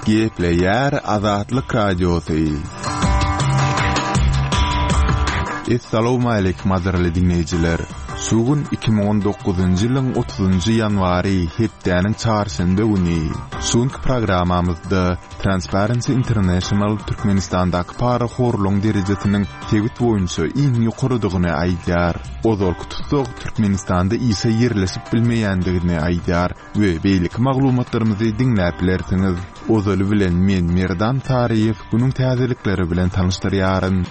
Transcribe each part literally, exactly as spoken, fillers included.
Gepleýär Azatlyk Radiosy. Essalawmaleýkim gadyrly diňleýjiler! Şu gün iki müň on dokuzynjy ýylyň otuzynjy ýanwary, hepdäniň çarşenbe güni. Şu günki programmamyzda Transparency International Türkmenistandaky parahorlugyň derejesiniň sebit boýunça iň ýokarydygyny aýdýar. Ozalky tussag Türkmenistanda işe ýerleşip bilmeýändigini aýdýar we beýleki maglumatlarymyzy diňläp bilersiňiz. Ozaly bilen men Merdan Saryýew günüň täzelikleri bilen tanyşdyrýaryn.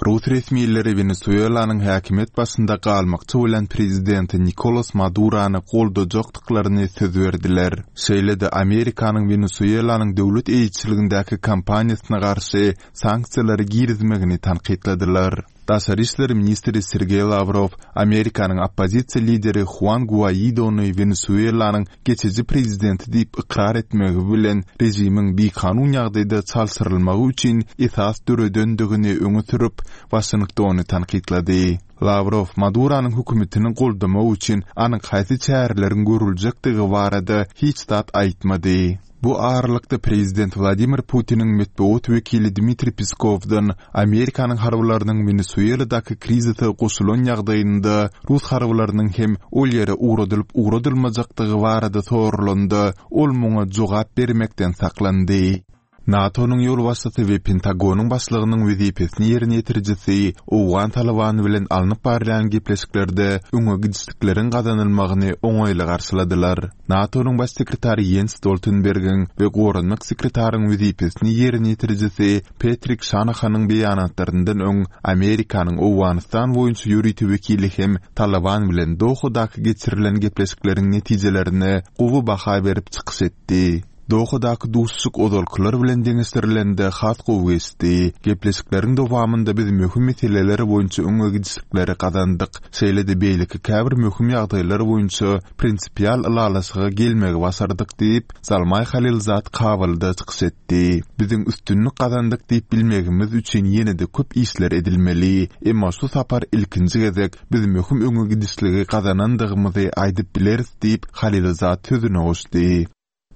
Rus resmileri Wenesuelanyň häkimiýet başynda galmakçy bolan prezidenti Nikolas Madurany goldajakdyklaryny söz berdiler. Şeýle-de Amerikanyň Wenesuelanyň döwlet eýeçiligindäki kompaniýasyna garşy sanksiýalary girizmegini tankytladylar. Daşary işler ministri Sergeý Lawrow Amerikanyň oppozisiýa lideri Huan Guaidony Wenesuelanyň geçiji prezidenti diýip ykrar etmegi bilen režimiň bikanun ýagdaýda çalşyrylmagy üçin esas döredendigini öňe sürüp, Waşingtony tankytlady. Lawrow Maduranyň hökümetini goldamak üçin anyk haýsy çäreleriň görüljekdigi barada hiç zat aýtmady. Bu aralykda prezident Wladimir Putiniň metbugat wekili Dmitriý Peskowdan Amerikanyň harbylarynyň Wenesueladaky krizise goşulan ýagdaýynda rus harbylarynyň hem ol ýere ugradylyp ugradylmajakdygy barada soralanda, ol muňa jogap bermekden saklandy. NATO-nyň ýolbaşçysy we Pentagonyň başlygynyň wezipesini ýerine ýetirijisi owgan Talybany bilen alnyp barylýan gepleşiklerde öňe gidişlikleriň gazanylmagyny oňaýly garşyladylar. NATO-nyň baş sekretary Jens Stoltenbergiň we goranmak sekretaryň wezipesini ýerine ýetirijisi Petrik Şanahanyň beýanatlaryndan öň Amerikanyň Owganystan boýunça ýörite wekili hem Talyban bilen Dohadaky geçirilen gepleşikleriň netijelerine gowy baha berip çykyş etdi. Dohadaky duşuşyk ozalkylar bilen deňeşdirilende has gowy geçdi. Gepleşikleriň dowamynda biz möhüm meseleler boýunça öňe gidişlikleri gazandyk. Şeýle-de beýleki käbir möhüm ýagdaýlar boýunça prinsipial ylalaşyga gelmegi başardyk diýip, Zalmaý Halilzad Kabulda çykyş etdi. Biziň üstünlik gazandyk diýip bilmegimiz üçin ýene-de köp işler edilmeli. Emma şu sapar ilkinji gezek biz möhüm öňe gidişligi gazanandygymyzy aýdyp bileris diýip, Halilzad sözüne goşdy.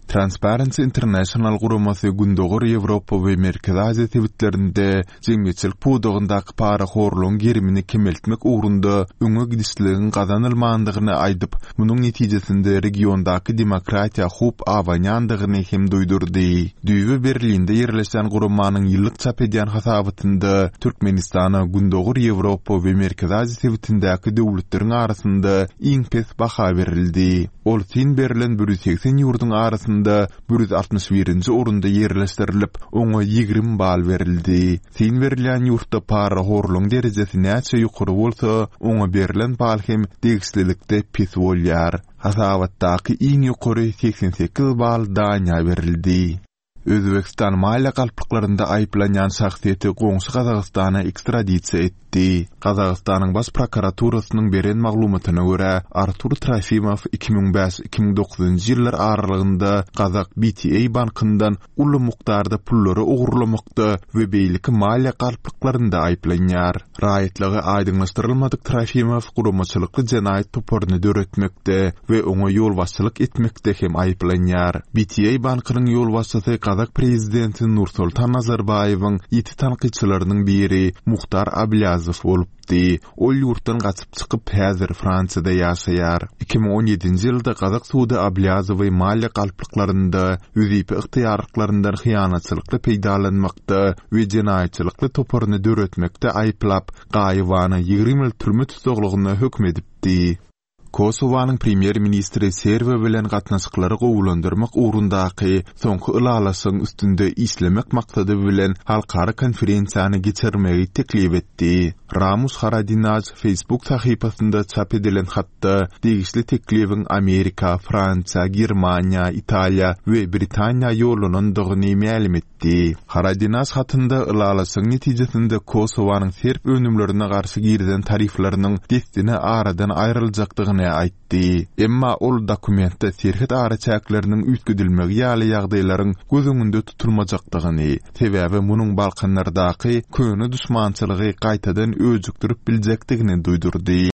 Transparency International guramasy Gündogar Ýewropa we Merkezi Aziýa sebitlerinde jemgyýetçilik pudagyndaky parahorlugyň gerimini kemeltmek ugrunda öňe gidişligiň gazanylmandygyny aýdyp, munuň netijesinde regiondaky demokratiýa howp abanýandygyny hem duýdurdy. Düýbi Berlinde ýerleşýän guramanyň ýyllyk çap edýän hasabatynda Türkmenistana Gündogar Ýewropa we Merkezi Aziýa sebitindäki döwletleriň arasynda iň pes baha berildi. Ol syn berlen bir ýüz segsen ýurduň arasynda bir ýüz altmyş birinji orunda ýerleşdirilip, oňa ýigrimi bal berildi. Syn berilýän ýurtda parahorlugyň derejesi näçe ýokary bolsa, oňa berlen bal hem degişlilikde pes bolýar. Hasabatdaky iň ýokary segsen sekiz bal Daniýa berildi. Özbegistan maliýe galplyklarynda aýyplanýan şahsyýeti goňşy Gazagystana ekstradisiýa etdi. Gazagystanyň Baş prokuraturasynyň beren maglumatyna görä, Artur Trofimow iki müň bäş-iki müň dokuzynjy ýyllar aralygynda gazak B T A bankyndan uly mukdarda pullary ogurlamakda we beýleki maliýe galplyklarynda aýyplanýar. Raýatlygy aýdyňlaşdyrylmadyk Trofimow guramaçylykly jenaýat toparyny döretmekde we oňa ýolbaşçylyk etmekde hem aýyplanýar. B T A bankynyň ýolbaşçysy gazak prezidenti Nursultan Nazarbaýewiň ýiti tankytçylarynyň biri Muhtar Ablýazow bolupdy. Ol ýurtdan gaçyp çykyp, häzir Fransiýada ýaşaýar. Iki müň on ýedinji ýylda gazak sudy Ablýazowy maliýe galplyklarynda, wezipe ygtyýarlyklaryndan hyýanatçylykly peýdalanmakda we jenaýatçylykly toparyny döretmekde aýyplap, gaýybana ýigrimi ýyl türme tussaglygyna höküm edipdi. Kosowanyň premýer-ministri Serbiýa bilen gatnaşyklary gowulandyrmak ugrundaky soňky ylalaşygyň üstünde işlemek maksady bilen halkara konferensiýany geçirmegi teklip etdi. Ramuş Haradinaj Facebook sahypasynda çap edilen hatda degişli teklibiň Amerika, Fransiýa, Germaniýa, Italiýa we Britaniýa ýollanandygyny mälim etdi. Haradinaj hatynda ylalaşygyň netijesinde Kosowanyň serb önümlerine garşy girizen tarifleriniň dessine aradan aýryljakdygyny aýtdy. Emma ol dokumentde serhet araçäkleriniň üýtgedilmegi ýaly ýagdaýlaryň göz öňünde tutulmajakdygyny, sebäbi munuň Balkanlardaky köne duşmançylygy gaýtadan öjükdirip biljekdigini duýdurdy.